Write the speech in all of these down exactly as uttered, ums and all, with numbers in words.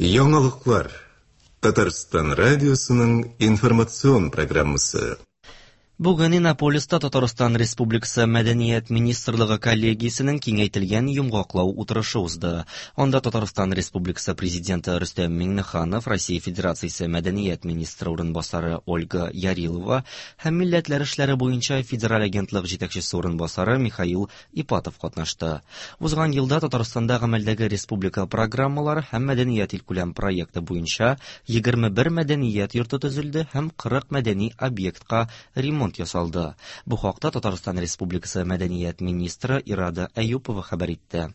Яңалыклар. Татарстан радиосының информацион программасы. Бүген Иннополиста Татарстан Республикасы Мәдәният министрлыгы коллегиясенең киңәйтелгән йомгаклау утырышы узды. Анда Татарстан Республикасы Президенты Рөстәм Миңнеханов, Россия Федерациясе Мәдәният министры урынбасары Ольга Ярилова һәм Милләтләр эшләре буенча Федераль агентлык җитәкчесе урынбасары Михаил Ипатов катнашты. Узган елда Татарстанда гамәлдәге республика программалары һәм мәдәният илкүләм проекты буенча егерме бер мәдәният йорты төзелде һәм кырык мәдәни объектка ремонт ясалды. Бу хакта Татарстан Республикасы Мәдәният министры Ирада Әюпова хәбәр итте.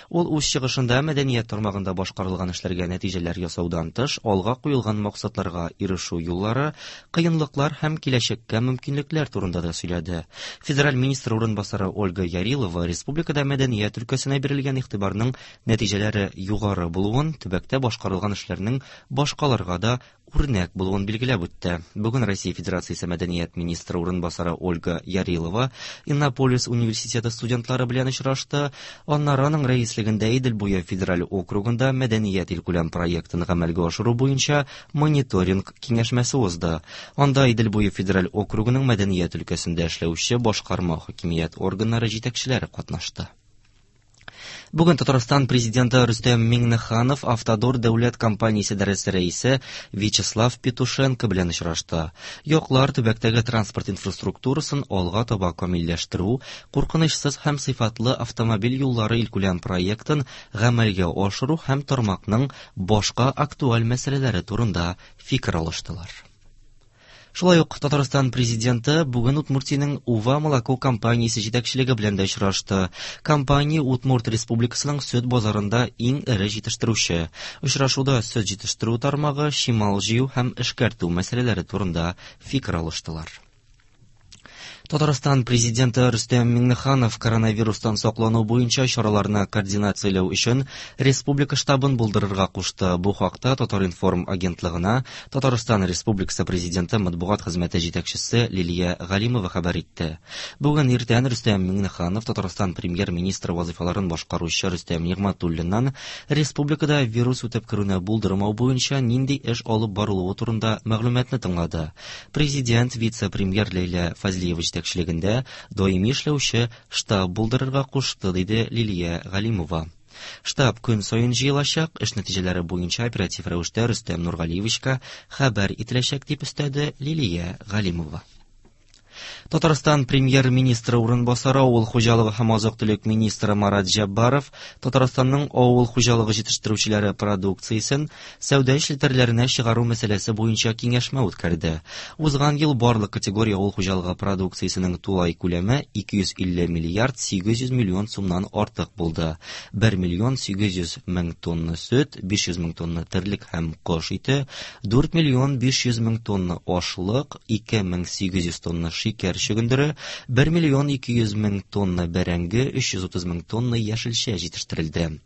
Ул үз чыгышында мәдәният тармагында башкарылган эшләргә нәтиҗәләр ясаудан тыш, алга куелган максатларга ирешү юллары, кыенлыклар һәм киләчәккә мөмкинлекләр турында да сөйләде. Федераль министр урынбасары Ольга Ярилова республикада мәдәният өлкәсенә бирелгән игътибарның нәтиҗәләре югары булуын, төбәктә башкарылган эшләрнең башкаларга да үрнәк булуын билгеләп үтте. Бүген Россия Федерациясе Мәдәният министры урынбасары Ольга Ярилова Иннополис университеты студентлары белән очрашты. Аннары аның рәислегендә Идел буе федераль округында мәдәният илкүләм проектын гамәлгә ашыру буенча мониторинг киңәшмәсе узды. Анда Идел буе федераль округының мәдәният өлкәсендә эшләүче башкарма хакимият органнары җитәкчеләре катнашты. Бүген Татарстан президенты Рөстәм Миңнеханов Автодор дәүләт компаниясе идарәсе рәисе Вячеслав Петушенко белән очрашты. Яклар төбәктәге транспорт инфраструктурасын алга таба камилләштерү, куркынычсыз һәм сыйфатлы автомобиль юллары илкүләм проектын гамәлгә ашыру һәм тармакның башка актуаль мәсьәләләре турында фикер алыштылар. Шулай ук Татарстан президенты бүген Удмуртиянең Ува молоко компаниясе җитәкчелеге белән дә очрашты. Компания Удмурт Республикасының сөт базарында иң эре җитештерүче. Очрашуда сөт җитештерү тармагы, чимал җыю һәм эшкәртү мәсьәләләре турында фикер алыштылар. Татарстан президенты Рөстәм Миңнеханов коронавирустан саклану буенча чараларны координацияләү өчен республика штабын булдырырга кушты. Бу хакта Татар-информ агентлыгына Татарстан Республикасы президенты матбугат хезмәте җитәкчесе Лилия Галимова хәбәр итте. Бүген иртән Рөстәм Миңнеханов Татарстан премьер-министры вазифаларын башкаручы Рөстәм Нигъмәтуллиннан республикада вирус үтеп керүне булдырмау буенча нинди эш алып барылуы турында мәгълүматны тыңлады. Президент вице-премьер Ләйлә Фазлиева җитәкчелегендә даими эшләүче штаб булдырырга кушты, диде Лилия Галимова. Штаб көн саен җыелачак, эш нәтиҗәләре буенча оператив рәвештә Рөстәм Нургалиевичка хәбәр ителәчәк, дип өстәде Лилия Галимова. Татарстан премьер-министры урынбасары авыл хуҗалыгы һәм азык-төлек министры Марат Җәббаров Татарстанның авыл хуҗалыгы җитештерүчеләре продукциясен сәүдә челтәрләренә чыгару мәсьәләсе буенча киңәшмә үткәрде. Узган ел барлык категория авыл хуҗалыгы продукциясенең тулай күләме ике йөз илле миллиард сигез йөз миллион сумнан артык булды. бер миллион сигез йөз мең тонна сөт, биш йөз мең тонна терлек һәм кош ите, дүрт миллион биш йөз мең тонна ашлык, ике мең сигез йөз тонна шикәр чөгендере, бер миллион ике йөз мең тонна бәрәңге, өч йөз утыз мең тонна яшелчә җитештерелде.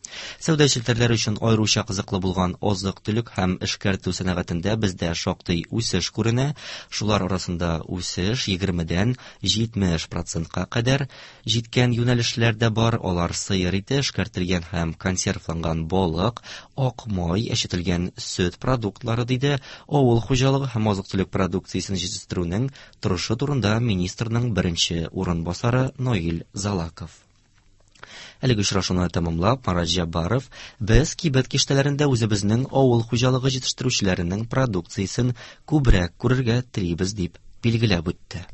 Сәүдә челтәрләре өчен аеруча кызыклы булган азык-төлек һәм эшкәртү сәнәгатендә бездә шактый үсеш күренә. Шулар арасында үсеш егермедән җитмеш процентка кадәр җиткән юнәлешләр дә бар. Алар сыер ите, эшкәртелгән һәм консервланган балык, ак май, әчетелгән сөт продуктлары, диде авыл хуҗалыгы һәм азык-төлек продукциясен җитештерүнең торышы турында министрның беренче урынбасары Наил Залаков. Әлеге очрашуны тәмамлап, Марат Җәббаров без кибет киштәләрендә үзебезнең авыл хуҗалыгы җитештерүчеләренең продукциясен күбрәк күрергә телибез, дип билгеләп үтте.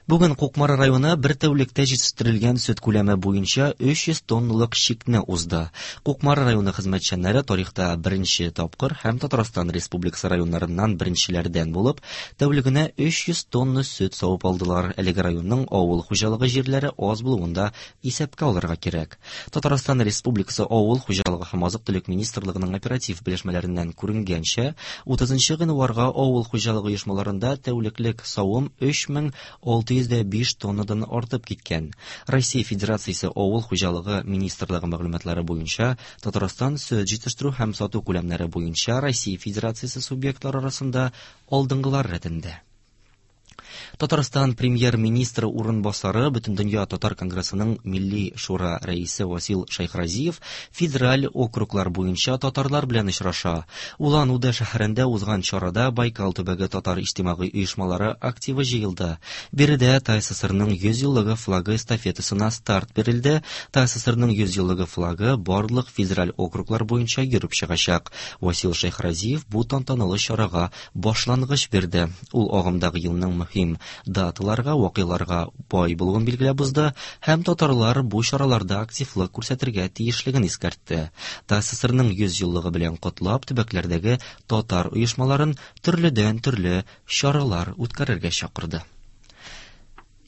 Бүген Кукмара районы бер тәүлектә җитештерелгән сөт күләме буенча өч йөз тонналык чикне узды. Кукмара районы хезмәтчәннәре тарихта беренче тапкыр һәм Татарстан Республикасы районнарыннан беренчеләрдән булып, тәүлегенә өч йөз тонна сөт савып алдылар. Әлеге районның авыл хуҗалыгы җирләре аз булуын да исәпкә алырга кирәк. Татарстан Республикасы Авыл хуҗалыгы һәм азык-төлек министрлыгының оператив белешмәләреннән күренгәнчә, утызынчы гыйнварга авыл хуҗалыгы оешмаларында тәүлеклек савым өч мең алты йөз биш тоннадан артып киткән. Россия Федерациясе Авыл хуҗалыгы министрлыгы мәгълүматлары буенча Татарстан сөт җитештерү һәм сату күләмнәре буенча Россия Федерациясе субъектлары арасында алдынгылар рәтендә. Татарстан премьер-министры урынбасары, Бөтендөнья татар конгрессының Милли шура рәисе Васил Шәйхразиев федераль округлар буенча татарлар белән очраша. Улан-Удэ шәһәрендә узган чарада Байкал төбәге татар иҗтимагый оешмалары активы җыелды. Биредә ТАССРның йөз еллыгы флагы эстафетасына старт бирелде. ТАССРның йөз еллыгы флагы барлык федераль округлар буенча йөреп чыгачак. Васил Шәйхразиев бу тантаналы чарага башлангыч бирде. Ул агымдагы елның мөһим даталарга, вакыйларга бай булуын билгеләп узды һәм татарлар бу чараларда активлык күрсәтергә тиешлеген искәртте. ТАССРның йөз еллыгы белән котлап, төбәкләрдәге татар оешмаларын төрледән-төрле чаралар үткәрергә чакырды.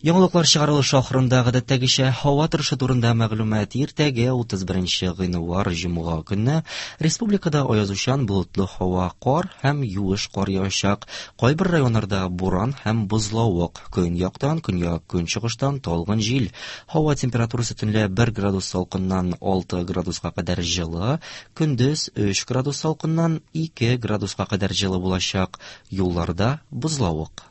Яңалыклар чыгарылышы ахырында гадәттәгечә һава торышы турында мәгълүмат. Иртәгә утыз беренче гыйнвар җомга көнне республикада аязучан болытлы һава, кар һәм юеш кар явачак. Кайбер районнарда буран һәм бозлавык. Көньяктан, көньяк-көнчыгыштан талгын җил. Һава температурасы төнлә бер градус салкыннан алты градуска кадәр җылы, көндез өч градус салкыннан ике градуска кадәр җылы булачак. Юлларда бозлавык.